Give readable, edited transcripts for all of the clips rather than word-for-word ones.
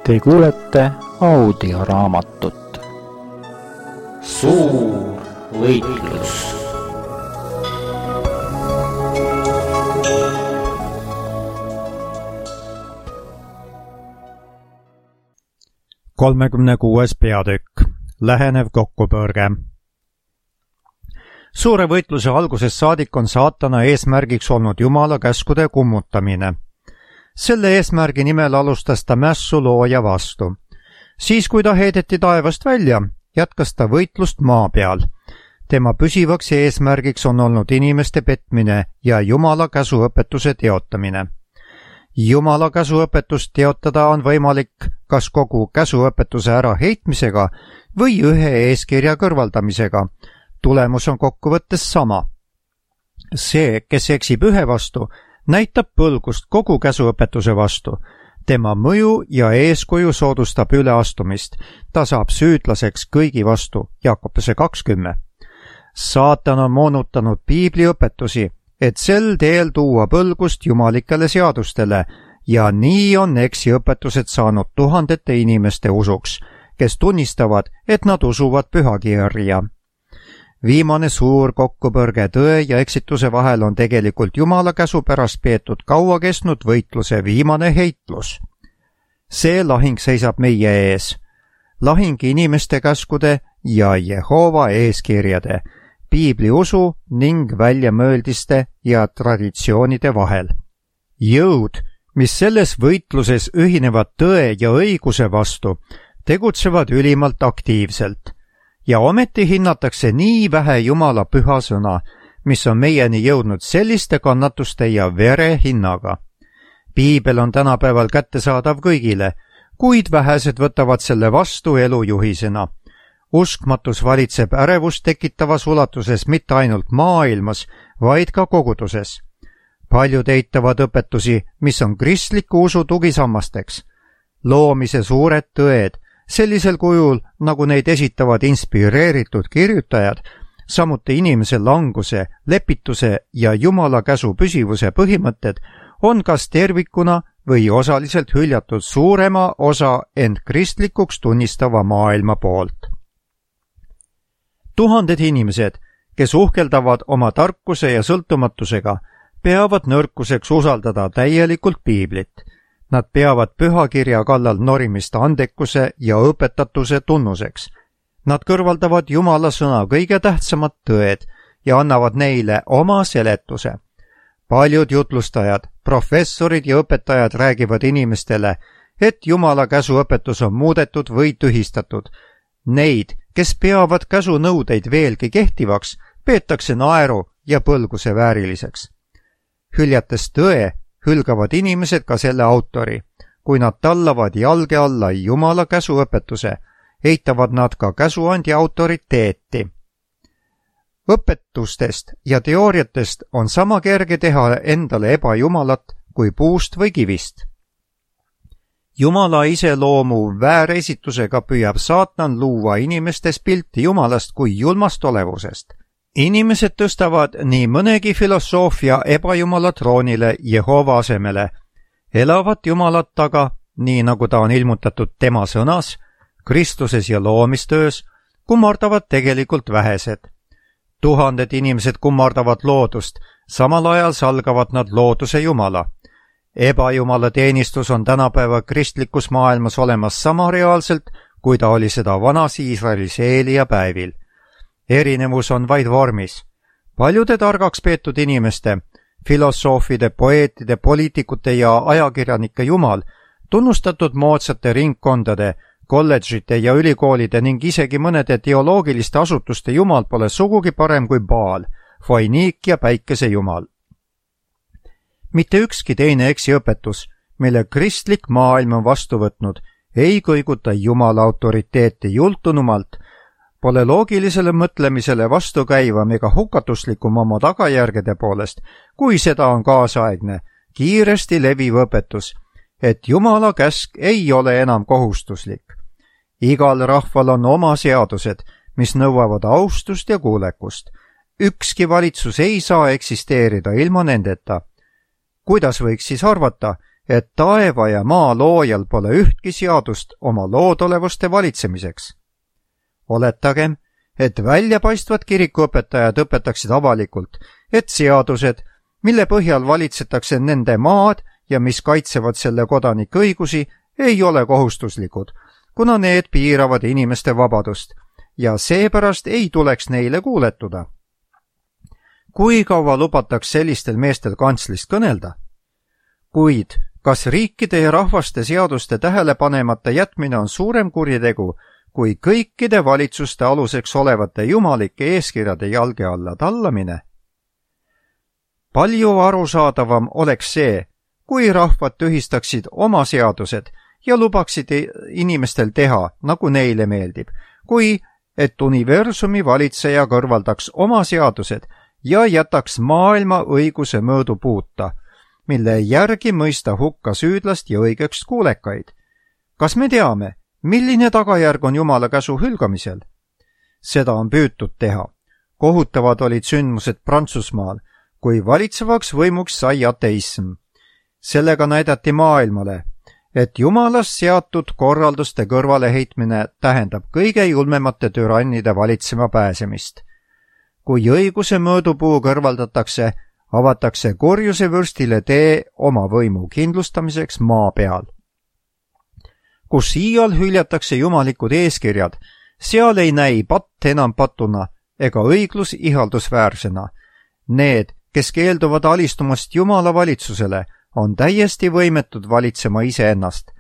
Te kuulete audioraamatut Suur võitlus. Kolmekümne 6. peatükk. Lähenev kokkupõrge. Suure võitluse algusest saadik on saatana eesmärgiks olnud Jumala käskude kummutamine. Selle eesmärgi nimel alustas ta mässu looja vastu. Siis, kui ta heideti taevast välja, jätkas ta võitlust maa peal. Tema püsivaks eesmärgiks on olnud inimeste petmine ja Jumala käsuõpetuse teotamine. Jumala käsuõpetust teotada on võimalik kas kogu käsuõpetuse äraheitmisega või ühe eeskirja kõrvaldamisega. Tulemus on kokkuvõttes sama. See, kes eksib ühe vastu, näitab põlgust kogu käsuõpetuse vastu. Tema mõju ja eeskuju soodustab üleastumist. Ta saab süüdlaseks kõigi vastu. Jakobuse 20. Saatan on moonutanud piibliõpetusi, et sel teel tuua põlgust jumalikele seadustele ja nii on eksiõpetused saanud tuhandete inimeste usuks, kes tunnistavad, et nad usuvad pühakirja. Viimane suur kokkupõrge tõe ja eksituse vahel on tegelikult Jumala käsu pärast peetud kaua kestnud võitluse viimane heitlus. See lahing seisab meie ees. Lahing inimeste käskude ja Jehova eeskirjade, piibli usu ning väljamõeldiste ja traditsioonide vahel. Jõud, mis selles võitluses ühinevad tõe ja õiguse vastu, tegutsevad ülimalt aktiivselt. Ja ometi hinnatakse nii vähe Jumala püha sõna, mis on meieni jõudnud selliste kannatuste ja vere hinnaga. Piibel on tänapäeval kättesaadav kõigile, kuid vähesed võtavad selle vastu elujuhisena. Uskmatus valitseb ärevust tekitavas ulatuses mitte ainult maailmas, vaid ka koguduses. Paljud eitavad õpetusi, mis on kristliku usu tugisammasteks. Loomise suured tõed, sellisel kujul, nagu neid esitavad inspireeritud kirjutajad, samuti inimese languse, lepituse ja Jumala käsu püsivuse põhimõtted, on kas tervikuna või osaliselt hüljatud suurema osa end kristlikuks tunnistava maailma poolt. Tuhanded inimesed, kes uhkeldavad oma tarkuse ja sõltumatusega, peavad nõrkuseks usaldada täielikult piiblit. Nad peavad pühakirja kallal norimist andekuse ja õpetatuse tunnuseks. Nad kõrvaldavad Jumala sõna kõige tähtsamad tõed ja annavad neile oma seletuse. Paljud jutlustajad, professorid ja õpetajad räägivad inimestele, et Jumala käsuõpetus on muudetud või tühistatud. Neid, kes peavad käsunõudeid veelgi kehtivaks, peetakse naeru ja põlguse vääriliseks. Hüljates tõe, hülgavad inimesed ka selle autori. Kui nad tallavad jalge alla Jumala käsuõpetuse, eitavad nad ka käsuandja autoriteeti. Õpetustest ja teooriatest on sama kerge teha endale ebajumalat kui puust või kivist. Jumala iseloomu vääresitusega püüab saatan luua inimestes pilti Jumalast kui julmast olevusest. Inimesed tõstavad nii mõnegi filosoofia ebajumala troonile Jehova asemele, elavat Jumalat taga, nii nagu ta on ilmutatud tema sõnas, Kristuses ja loomistöös, kummardavad tegelikult vähesed. Tuhanded inimesed kummardavad loodust, samal ajal salgavad nad looduse Jumala. Ebajumala teenistus on tänapäeva kristlikus maailmas olemas sama reaalselt, kui ta oli seda vanas Iisraelis Eelia päevil. Erinevus on vaid vormis. Paljude targaks peetud inimeste, filosoofide, poeetide, poliitikute ja ajakirjanike Jumal, tunnustatud moodsate ringkondade, kolledžite ja ülikoolide ning isegi mõnede teoloogiliste asutuste Jumal pole sugugi parem kui Baal, Foiniik ja päikese Jumal. Mitte ükski teine eksiõpetus, mille kristlik maailm on vastu võtnud, ei kõiguta Jumala autoriteeti jultunumalt, pole loogilisele mõtlemisele vastukäivam ega hukatuslikum oma tagajärgede poolest, kui seda on kaasaegne, kiiresti leviv õpetus, et Jumala käsk ei ole enam kohustuslik. Igal rahval on oma seadused, mis nõuavad austust ja kuulekust. Ükski valitsus ei saa eksisteerida ilma nendeta. Kuidas võiks siis arvata, et taeva ja maa loojal pole ühtki seadust oma loodolevuste valitsemiseks. Oletagem, et väljapaistvad kirikuõpetajad õpetaksid avalikult, et seadused, mille põhjal valitsetakse nende maad ja mis kaitsevad selle kodanike õigusi, ei ole kohustuslikud, kuna need piiravad inimeste vabadust ja seepärast ei tuleks neile kuuletuda. Kui kaua lubataks sellistel meestel kantslist kõnelda? Kuid kas riikide ja rahvaste seaduste tähelepanemata jätmine on suurem kuritegu, kui kõikide valitsuste aluseks olevate jumalike eeskirjade jalge alla tallamine? Palju arusaadavam oleks see, kui rahvad tühistaksid oma seadused ja lubaksid inimestel teha, nagu neile meeldib, kui et universumi valitseja kõrvaldaks oma seadused ja jätaks maailma õiguse mõõdupuuta, mille järgi mõista hukka süüdlast ja õigeks kuulekaid. Kas me teame, milline tagajärg on Jumala käsu hülgamisel? Seda on püütud teha. Kohutavad olid sündmused Prantsusmaal, kui valitsevaks võimuks sai ateism. Sellega näidati maailmale, et Jumalast seatud korralduste kõrvaleheitmine tähendab kõige julmemate türannide valitsema pääsemist. Kui õiguse mõõdupuu kõrvaldatakse, avatakse kurjuse vürstile tee oma võimu kindlustamiseks maa peal. Kus iial hüljatakse jumalikud eeskirjad, seal ei näi patt enam patuna ega õiglus ihaldusväärsena. Need, kes keelduvad alistumast Jumala valitsusele, on täiesti võimetud valitsema iseennast.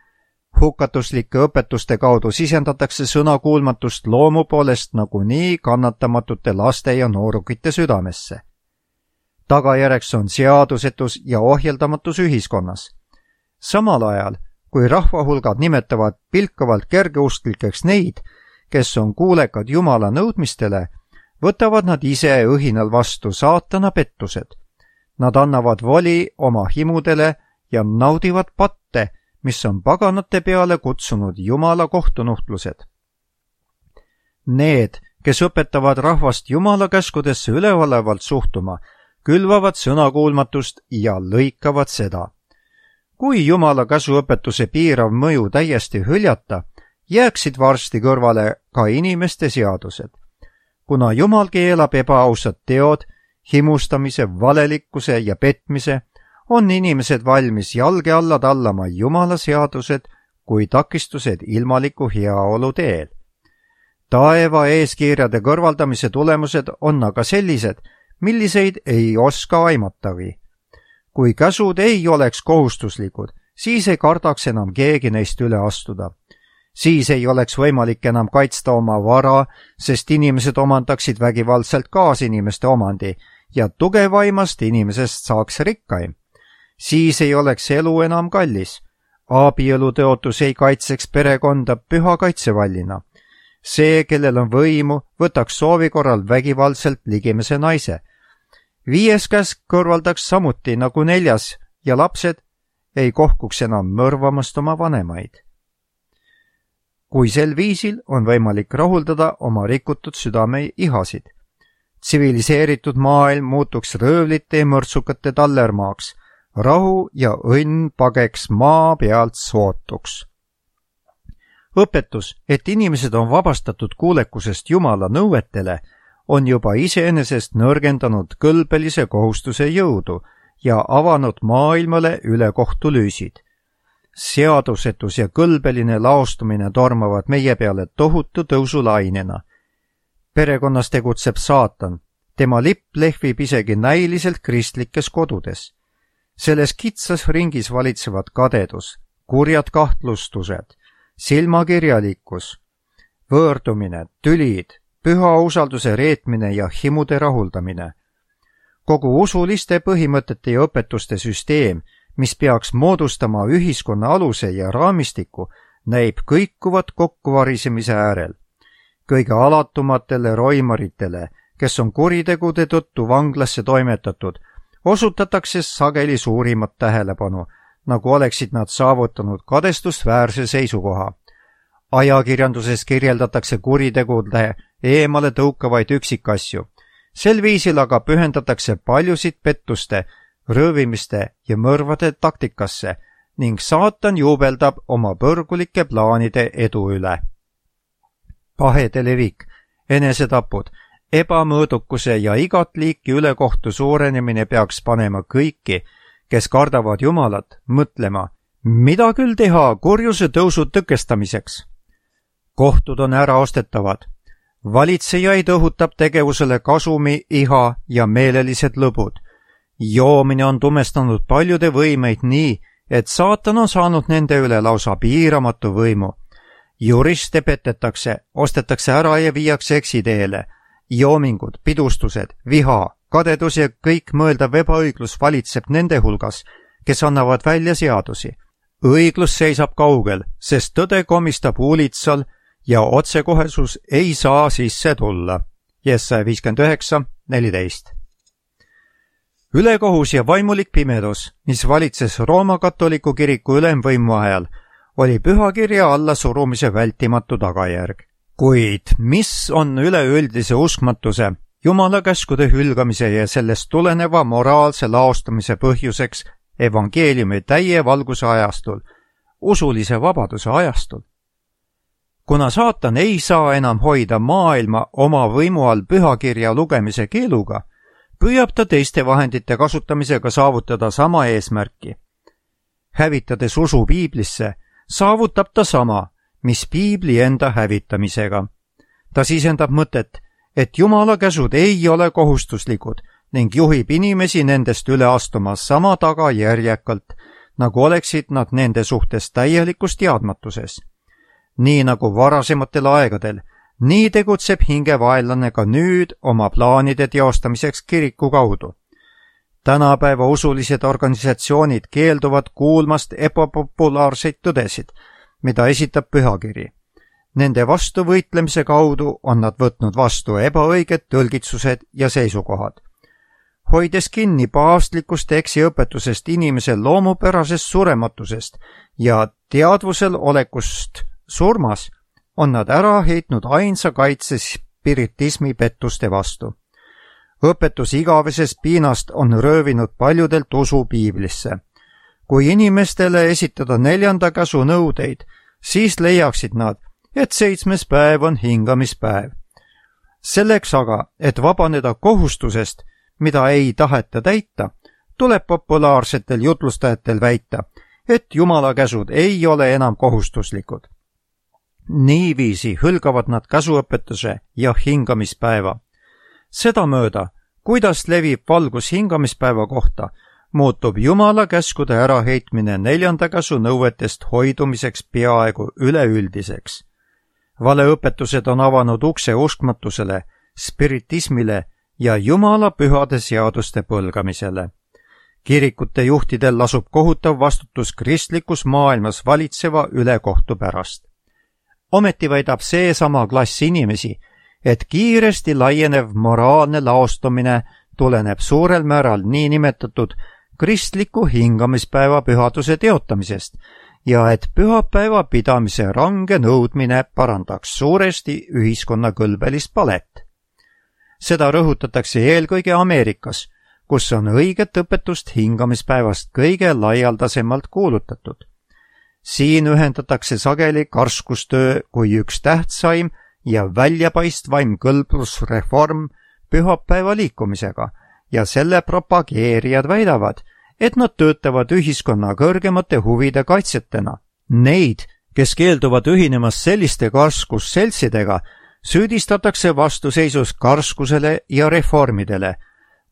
Hukatuslike õpetuste kaudu sisendatakse sõnakuulmatust loomu poolest nagunii kannatamatute laste ja noorukite südamesse. Tagajärjeks on seadusetus ja ohjeldamatus ühiskonnas. Samal ajal, kui rahvahulgad nimetavad pilkavalt kergeusklikeks neid, kes on kuulekad Jumala nõudmistele, võtavad nad ise õhinal vastu saatana pettused. Nad annavad voli oma himudele ja naudivad patte, mis on paganate peale kutsunud Jumala kohtunuhtlused. Need, kes õpetavad rahvast Jumala käskudesse üleolevalt suhtuma, külvavad sõnakuulmatust ja lõikavad seda. Kui Jumala käsuõpetuse piirav mõju täiesti hüljata, jääksid varsti kõrvale ka inimeste seadused. Kuna Jumal keelab ebaausad teod, himustamise, valelikkuse ja petmise, on inimesed valmis jalge alla tallama Jumala seadused kui takistused ilmaliku heaolu teel. Taeva eeskirjade kõrvaldamise tulemused on aga sellised, milliseid ei oska aimatagi. Kui käsud ei oleks kohustuslikud, siis ei kardaks enam keegi neist üle astuda. Siis ei oleks võimalik enam kaitsta oma vara, sest inimesed omandaksid vägivaldselt kaasinimeste omandi ja tugevaimast inimesest saaks rikkaim. Siis ei oleks elu enam kallis. Abielutõotus ei kaitseks perekonda püha kaitsevallina. See, kellel on võimu, võtaks soovi korral vägivaldselt ligimese naise. 5. käsk kõrvaldaks samuti nagu 4. ja lapsed ei kohkuks enam mõrvamast oma vanemaid. Kui sel viisil on võimalik rahuldada oma rikutud südame ihasid. Tsiviliseeritud maailm muutuks röövlite ja mõrtsukate tallermaaks, rahu ja õnn pageks maa pealt sootuks. Õpetus, et inimesed on vabastatud kuulekusest Jumala nõuetele, on juba iseenesest nõrgendanud kõlbelise kohustuse jõudu ja avanud maailmale ülekohtulüüsid. Seadusetus ja kõlbeline laostumine tormavad meie peale tohutu tõusulainena. Perekonnas tegutseb saatan, tema lipp lehvib isegi näiliselt kristlikes kodudes. Selles kitsas ringis valitsevad kadedus, kurjad kahtlustused, silmakirjalikkus, võõrdumine, tülid, püha usalduse reetmine ja himude rahuldamine. Kogu usuliste põhimõtete ja õpetuste süsteem, mis peaks moodustama ühiskonna aluse ja raamistiku, näib kõikuvat kokkuvarisemise äärel. Kõige alatumatele roimaritele, kes on kuritegude tõttu vanglasse toimetatud, osutatakse sageli suurimat tähelepanu, nagu oleksid nad saavutanud kadestusväärse seisukoha. Ajakirjanduses kirjeldatakse kuritegude eemale tõukavaid üksikasju. Sel viisil aga pühendatakse paljusid pettuste, röövimiste ja mõrvade taktikasse, ning saatan juubeldab oma põrgulike plaanide edu üle. Pahede levik, enesetapud, ebamõõdukuse ja igat liiki ülekohtu suurenemine peaks panema kõiki, kes kardavad Jumalat, mõtlema, mida küll teha kurjuse tõusu tõkestamiseks. Kohtud on äraostetavad. Valitsejaid õhutab tegevusele kasumi, iha ja meelelised lõbud. Joomine on tumestanud paljude võimeid nii, et saatan on saanud nende üle lausa piiramatu võimu. Juriste petetakse, ostetakse ära ja viiakse eksiteele. Joomingud, pidustused, viha, kadedus ja kõik mõeldav ebaõiglus valitseb nende hulgas, kes annavad välja seadusi. Õiglus seisab kaugel, sest tõde komistab uulitsal ja otsekohesus ei saa sisse tulla. Jesaja 59:14. Ülekohus ja vaimulik pimedus, mis valitses Rooma katoliku kiriku ülemvõimu ajal, oli pühakirja allasurumise vältimatu tagajärg. Kuid mis on üleüldise uskmatuse, Jumala käskude hülgamise ja sellest tuleneva moraalse laostumise põhjuseks evangeeliumi täie valguse ajastul, usulise vabaduse ajastul? Kuna saatan ei saa enam hoida maailma oma võimu all pühakirja lugemise keeluga, püüab ta teiste vahendite kasutamisega saavutada sama eesmärki. Hävitades usu piiblisse, saavutab ta sama, mis piibli enda hävitamisega. Ta sisendab mõtet, et Jumala käsud ei ole kohustuslikud ning juhib inimesi nendest üle astuma sama tagajärjekalt, nagu oleksid nad nende suhtes täielikus teadmatuses. Nii nagu varasematel aegadel, nii tegutseb hingevaenlane ka nüüd oma plaanide teostamiseks kiriku kaudu. Tänapäeva usulised organisatsioonid keelduvad kuulmast ebapopulaarseid tõdesid, mida esitab pühakiri. Nende vastu võitlemise kaudu on nad võtnud vastu ebaõiged tõlgitsused ja seisukohad. Hoides kinni paavstlikust eksiõpetusest inimese loomupärasest surematusest ja teadvusel olekust surmas, on nad ära heitnud ainsa kaitse spiritismi pettuste vastu. Õpetus igavesest piinast on röövinud paljudelt usu piiblisse. Kui inimestele esitada 4. käsu nõudeid, siis leiaksid nad, et 7. päev on hingamispäev. Selleks aga, et vabaneda kohustusest, mida ei taheta täita, tuleb populaarsetel jutlustajatel väita, et Jumala käsud ei ole enam kohustuslikud. Niiviisi hõlgavad nad käsuõpetuse ja hingamispäeva. Sedamööda, kuidas levib valgus hingamispäeva kohta, muutub Jumala käskude äraheitmine 4. käsu nõuetest hoidumiseks peaaegu üleüldiseks. Valeõpetused on avanud ukse uskmatusele, spiritismile ja Jumala pühade seaduste põlgamisele. Kirikute juhtidel lasub kohutav vastutus kristlikus maailmas valitseva ülekohtu pärast. Ometi väidab seesama klass inimesi, et kiiresti laienev moraalne laostumine tuleneb suurel määral niinimetatud kristliku hingamispäeva pühaduse teotamisest ja et pühapäeva pidamise range nõudmine parandaks suuresti ühiskonna kõlbelist palet. Seda rõhutatakse eelkõige Ameerikas, kus on õiget õpetust hingamispäevast kõige laialdasemalt kuulutatud. Siin ühendatakse sageli karskustöö kui üks tähtsaim ja väljapaistvaim kõlblusreform pühapäeva liikumisega ja selle propageerijad väidavad, et nad töötavad ühiskonna kõrgemate huvide kaitsetena. Neid, kes keelduvad ühinemast selliste karskusseltsidega, süüdistatakse vastuseisus karskusele ja reformidele,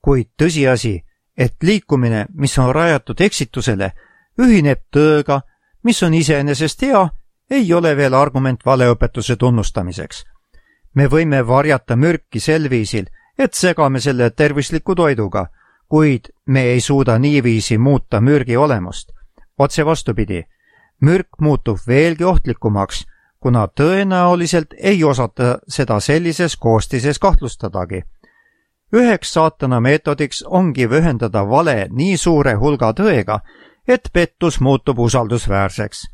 kuid tõsiasi, et liikumine, mis on rajatud eksitusele, ühineb tõega, mis on iseenesest hea, ei ole veel argument valeõpetuse tunnustamiseks. Me võime varjata mürki sel viisil, et segame selle tervisliku toiduga, kuid me ei suuda niiviisi muuta mürgi olemust. Otse vastupidi, mürk muutub veelgi ohtlikumaks, kuna tõenäoliselt ei osata seda sellises koostises kahtlustadagi. Üheks saatana meetodiks ongi ühendada vale nii suure hulga tõega, et pettus muutub usaldusväärseks.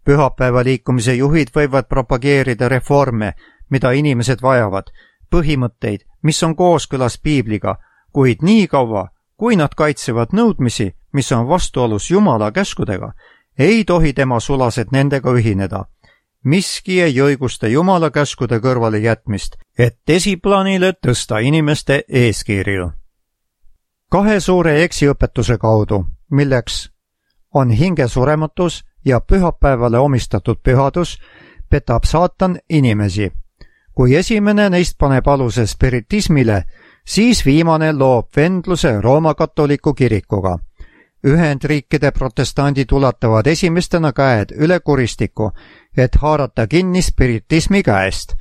Pühapäeva liikumise juhid võivad propageerida reforme, mida inimesed vajavad, põhimõtteid, mis on kooskõlas piibliga, kuid nii kaua, kui nad kaitsevad nõudmisi, mis on vastuolus Jumala käskudega, ei tohi tema sulased nendega ühineda. Miski ei õigusta Jumala käskude kõrvale jätmist, et esiplaanile tõsta inimeste eeskirju. Kahe suure eksiõpetuse kaudu, milleks on hingesurematus ja pühapäevale omistatud pühadus, petab saatan inimesi. Kui esimene neist paneb aluse spiritismile, siis viimane loob vendluse Rooma katoliku kirikuga. Ühendriikide protestandid ulatavad esimestena käed üle kuristiku, et haarata kinni spiritismi käest.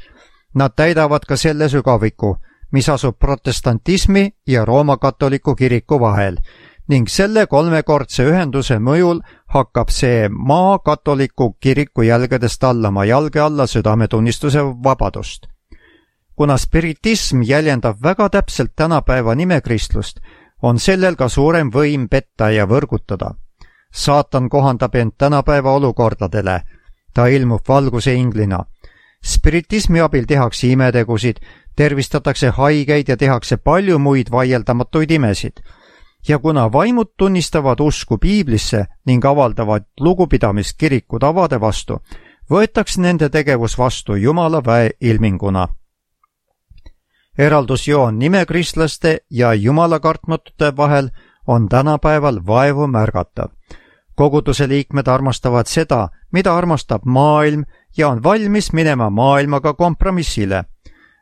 Nad täidavad ka selle sügaviku, mis asub protestantismi ja Rooma katoliku kiriku vahel, ning selle kolmekordse ühenduse mõjul hakkab see maa katoliku kiriku jälgedest tallama jalge alla südametunnistuse vabadust. Kuna spiritism jäljendab väga täpselt tänapäeva nimekristlust, on sellel ka suurem võim petta ja võrgutada. Saatan kohandab end tänapäeva olukordadele. Ta ilmub valguse inglina. Spiritismi abil tehakse imetegusid, tervistatakse haigeid ja tehakse palju muid vaieldamatuid imesid. Ja kuna vaimud tunnistavad usku piiblisse ning avaldavad lugupidamist kiriku tavade vastu, võetakse nende tegevus vastu Jumala väe ilminguna. Eraldusjoon nimekristlaste ja jumalakartmatute vahel on tänapäeval vaevu märgatav. Koguduse liikmed armastavad seda, mida armastab maailm ja on valmis minema maailmaga kompromissile.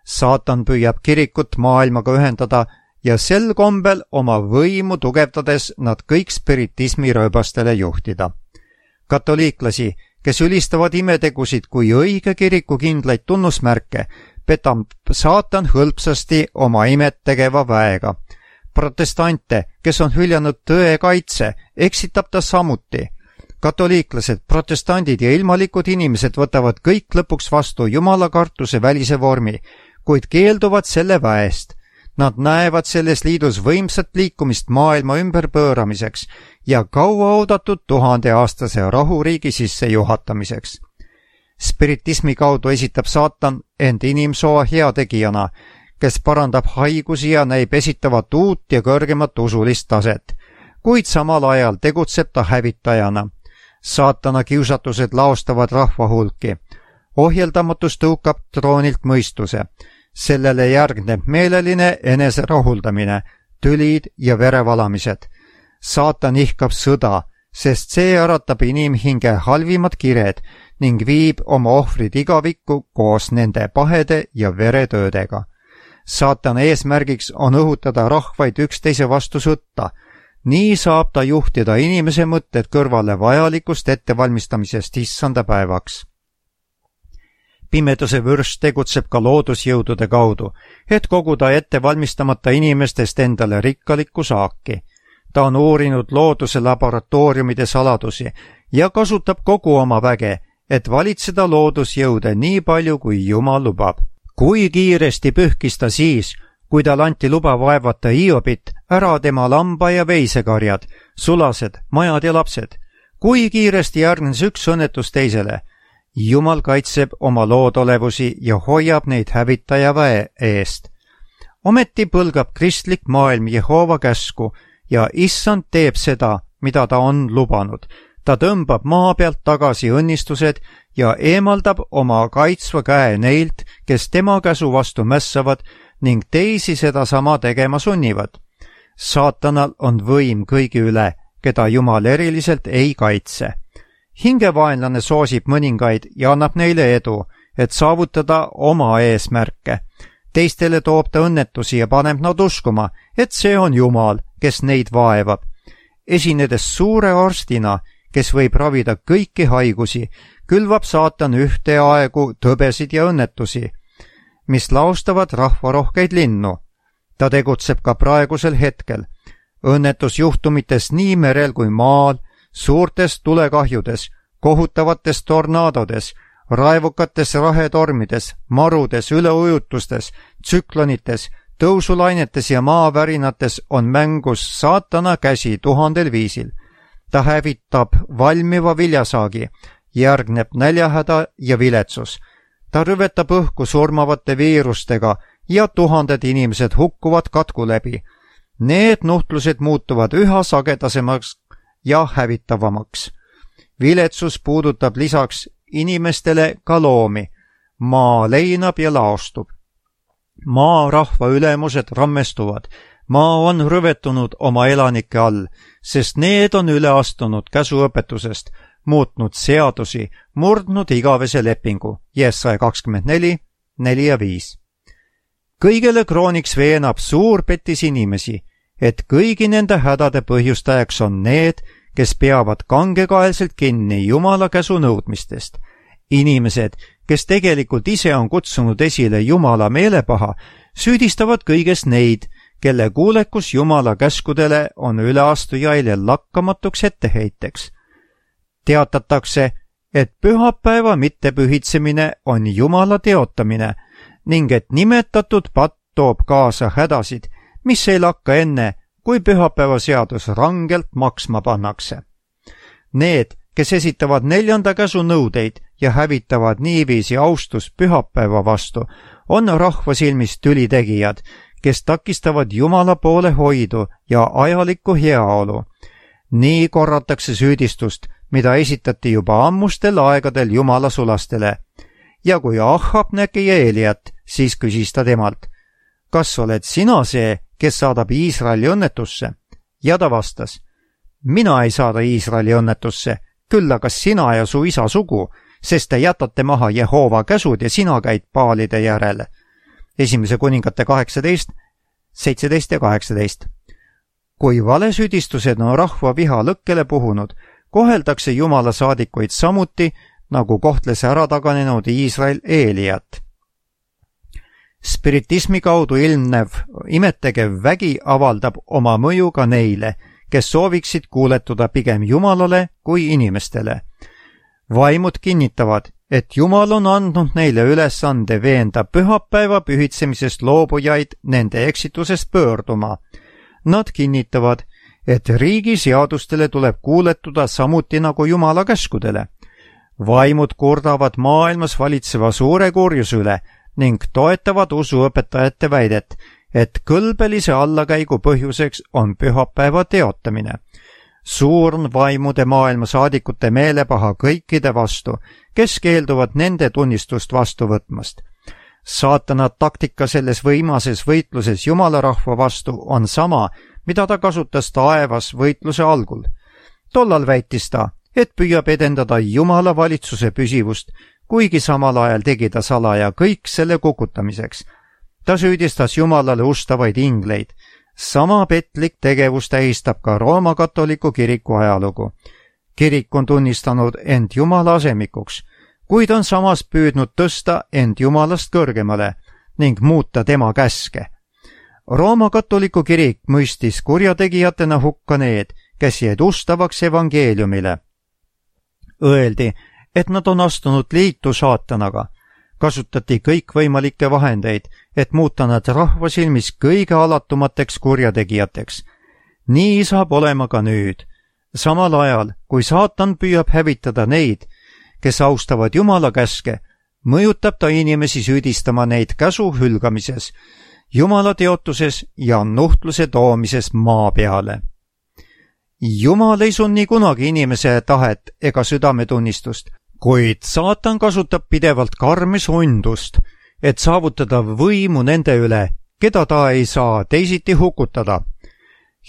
Saatan püüab kirikut maailmaga ühendada ja sel kombel oma võimu tugevdades nad kõik spiritismi rööbastele juhtida. Katoliiklasi, kes ülistavad imetegusid kui õige kiriku kindlaid tunnusmärke, petab saatan hõlpsasti oma imet tegeva väega. Protestante, kes on hüljanud tõe kaitse, eksitab ta samuti. Katoliiklased, protestandid ja ilmalikud inimesed võtavad kõik lõpuks vastu Jumala kartuse välise vormi, kuid keelduvad selle väest. Nad näevad selles liidus võimsat liikumist maailma ümberpööramiseks ja kauaoodatud 1000-aastase rahuriigi sissejuhatamiseks. Spiritismi kaudu esitab saatan end inimsoo heategijana, kes parandab haigusi ja näib esitavat uut ja kõrgemat usulist taset, kuid samal ajal tegutseb ta hävitajana. Saatana kiusatused laostavad rahva hulki. Ohjeldamatus tõukab troonilt mõistuse. Sellele järgneb meeleline eneserahuldamine, tülid ja verevalamised. Saatan ihkab sõda, sest see äratab inimhinge halvimad kired ning viib oma ohvrid igavikku koos nende pahede ja veretöödega. Saatana eesmärgiks on õhutada rahvaid üksteise vastu sõtta. Nii saab ta juhtida inimese mõtted kõrvale vajalikust ettevalmistamisest issanda päevaks. Pimeduse vürst tegutseb ka loodusjõudude kaudu, et koguda ettevalmistamata inimestest endale rikkalikku saaki. Ta on uurinud looduse laboratooriumide saladusi ja kasutab kogu oma väge, et valitseda loodusjõude nii palju, kui Jumal lubab. Kui kiiresti pühkis ta siis, kui tal anti luba vaevata Hiobit, ära tema lamba- ja veisekarjad, sulased, majad ja lapsed. Kui kiiresti järgnes üks õnnetus teisele. Jumal kaitseb oma loodolevusi ja hoiab neid hävitaja väe eest. Ometi põlgab kristlik maailm Jehoova käsku ja issand teeb seda, mida ta on lubanud. Ta tõmbab maa pealt tagasi õnnistused ja eemaldab oma kaitsva käe neilt, kes tema käsu vastu mässavad ning teisi sedasama tegema sunnivad. Saatanal on võim kõigi üle, keda Jumal eriliselt ei kaitse. Hingevaenlane soosib mõningaid ja annab neile edu, et saavutada oma eesmärke. Teistele toob ta õnnetusi ja paneb nad uskuma, et see on Jumal, kes neid vaevab. Esinedes suure arstina, kes võib ravida kõiki haigusi, külvab saatan ühteaegu tõbesid ja õnnetusi, mis laostavad rahvarohkeid linnu. Ta tegutseb ka praegusel hetkel. Õnnetusjuhtumites nii merel kui maal, suurtes tulekahjudes, kohutavates tornaadodes, raevukates rahetormides, marudes, üleujutustes, tsüklonites, tõusulainetes ja maavärinates on mängus saatana käsi 1000 viisil. Ta hävitab valmiva viljasaagi, järgneb näljahäda ja viletsus. Ta rüvetab õhku surmavate viirustega ja 1000 inimesed hukkuvad katku läbi. Need nuhtlused muutuvad üha sagedasemaks ja hävitavamaks. Viletsus puudutab lisaks inimestele ka loomi. Maa leinab ja laostub. Maa rahva ülemused rammestuvad. Maa on rõvetunud oma elanike all, sest need on üle astunud käsuõpetusest, muutnud seadusi, murdnud igavese lepingu. Jesaja 24, 4 ja 5. Kõigele krooniks veenab suur petis inimesi, et kõigi nende hädade põhjustajaks on need, kes peavad kangekaelselt kinni Jumala käsu nõudmistest. Inimesed, kes tegelikult ise on kutsunud esile Jumala meelepaha, süüdistavad kõiges neid, kelle kuulekus Jumala käskudele on üleastujaile lakkamatuks etteheiteks. Teatatakse, et pühapäeva mittepühitsemine on Jumala teotamine ning et nimetatud patt toob kaasa hädasid, mis ei lakka enne, kui pühapäeva seadus rangelt maksma pannakse. Need, kes esitavad 4. käsu nõudeid ja hävitavad niiviisi austust pühapäeva vastu, on rahva silmis tülitegijad, kes takistavad Jumala poole hoidu ja ajalikku heaolu. Nii korratakse süüdistust, mida esitati juba ammustel aegadel Jumala sulastele. Ja kui Ahab nägi Eeliat, siis küsis ta temalt, kas oled sina see, kes saadab Iisraeli õnnetusse? Ja ta vastas, mina ei saada Iisraeli õnnetusse, küll aga sina ja su isa sugu, sest te jätate maha Jehova käsud ja sina käid paalide järele. 1. kuningate 18, 17 ja 18. Kui valesüüdistused on rahva viha lõkkele puhunud, koheldakse Jumala saadikuid samuti, nagu kohtles ära taganenud Iisrael Eeliat. Spiritismi kaudu ilmnev imetegev vägi avaldab oma mõju ka neile, kes sooviksid kuuletuda pigem Jumalale kui inimestele. Vaimud kinnitavad, et Jumal on andnud neile ülesande veenda pühapäeva pühitsemisest loobujaid nende eksitusest pöörduma. Nad kinnitavad, et riigi seadustele tuleb kuuletuda samuti nagu Jumala käskudele. Vaimud kurdavad maailmas valitseva suure kurjuse üle ning toetavad usuõpetajate väidet, et kõlbelise allakäigu põhjuseks on pühapäeva teotamine. Suur on vaimude maailma saadikute meelepaha kõikide vastu, kes keelduvad nende tunnistust vastu võtmast. Saatana taktika selles võimases võitluses Jumala rahva vastu on sama, mida ta kasutas taevas võitluse algul. Tollal väitis ta, et püüab edendada Jumala valitsuse püsivust, kuigi samal ajal tegi ta salaja kõik selle kukutamiseks. Ta süüdistas Jumalale ustavaid ingleid. Sama petlik tegevus tähistab ka Rooma katoliku kiriku ajalugu. Kirik on tunnistanud end Jumala asemikuks, kuid on samas püüdnud tõsta end Jumalast kõrgemale ning muuta tema käske. Rooma katoliku kirik mõistis kurjategijatena hukka need, kes jäid ustavaks evangeeliumile. Öeldi, et nad on astunud liitu saatanaga. Kasutati kõikvõimalikke vahendeid, et muuta nad rahva silmis kõige alatumateks kurjategijateks. Nii saab olema ka nüüd. Samal ajal, kui saatan püüab hävitada neid, kes austavad Jumala käske, mõjutab ta inimesi süüdistama neid käsu hülgamises, Jumala teotuses ja nuhtluse toomises maa peale. Jumal ei sunni kunagi inimese tahet ega südametunnistust, kuid saatan kasutab pidevalt karmi sundust, et saavutada võimu nende üle, keda ta ei saa teisiti hukutada.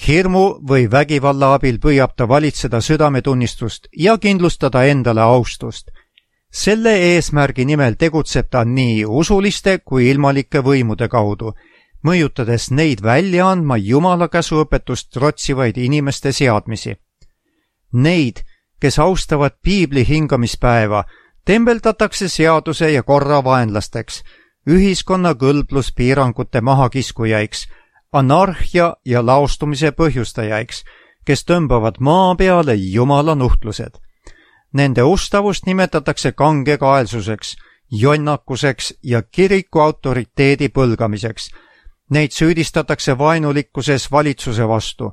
Hirmu või vägivalla abil püüab ta valitseda südametunnistust ja kindlustada endale austust. Selle eesmärgi nimel tegutseb ta nii usuliste kui ilmalike võimude kaudu, mõjutades neid välja andma Jumala käsuõpetust trotsivaid inimeste seadmisi. Neid, kes austavad piibli hingamispäeva, tembeldatakse seaduse ja korra vaenlasteks, ühiskonna kõlbluspiirangute mahakiskujaiksi, anarhia ja laostumise põhjustajaiks, kes tõmbavad maa peale Jumala nuhtlused. Nende ustavust nimetatakse kangekaelsuseks, jonnakuseks ja kiriku autoriteedi põlgamiseks. Neid süüdistatakse vaenulikkuses valitsuse vastu.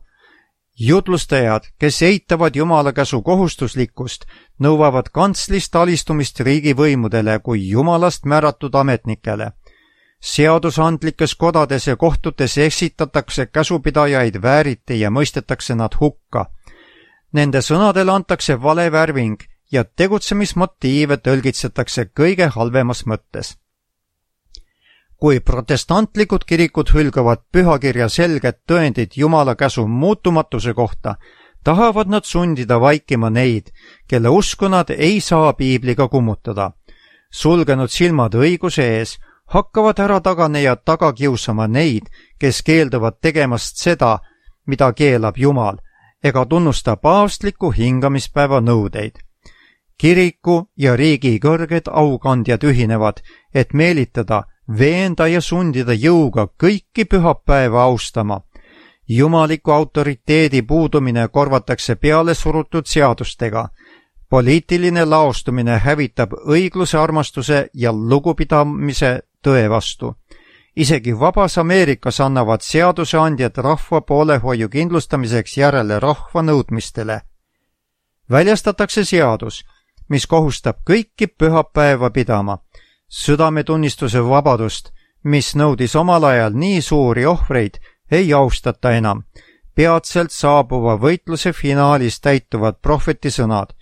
Jutlustajad, kes eitavad Jumala käsu kohustuslikkust, nõuavad kantslist alistumist riigivõimudele kui Jumalast määratud ametnikele. Seadusandlikes kodades ja kohtutes eksitatakse käsupidajaid vääriti ja mõistetakse nad hukka. Nende sõnadele antakse vale värving ja tegutsemismotiive tõlgitsetakse kõige halvemas mõttes. Kui protestantlikud kirikud hülgavad pühakirja selged tõendid Jumala käsu muutumatuse kohta, tahavad nad sundida vaikima neid, kelle usku nad ei saa piibliga kummutada. Sulgenud silmad õiguse ees hakkavad ära taganejad taga kiusama neid, kes keelduvad tegemast seda, mida keelab Jumal, ega tunnusta paavstliku hingamispäeva nõudeid. Kiriku ja riigi kõrged aukandjad ühinevad, et meelitada, veenda ja sundida jõuga kõiki pühapäeva austama. Jumaliku autoriteedi puudumine korvatakse peale surutud seadustega. Poliitiline laostumine hävitab õigluse, armastuse ja lugupidamise tõe vastu. Isegi vabas Ameerikas annavad seaduseandjad rahva poolehoiu kindlustamiseks järele rahva nõudmistele. Väljastatakse seadus, mis kohustab kõiki pühapäeva pidama. Südametunnistuse vabadust, mis nõudis omal ajal nii suuri ohvreid, ei austata enam. Peatselt saabuva võitluse finaalis täituvad prohveti sõnad.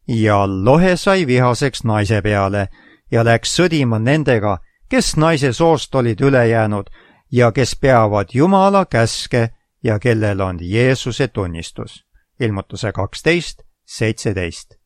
Ja lohe sai vihaseks naise peale ja läks sõdima nendega, kes naise soost olid üle jäänud ja kes peavad Jumala käske ja kellel on Jeesuse tunnistus. Ilmutuse 12:17.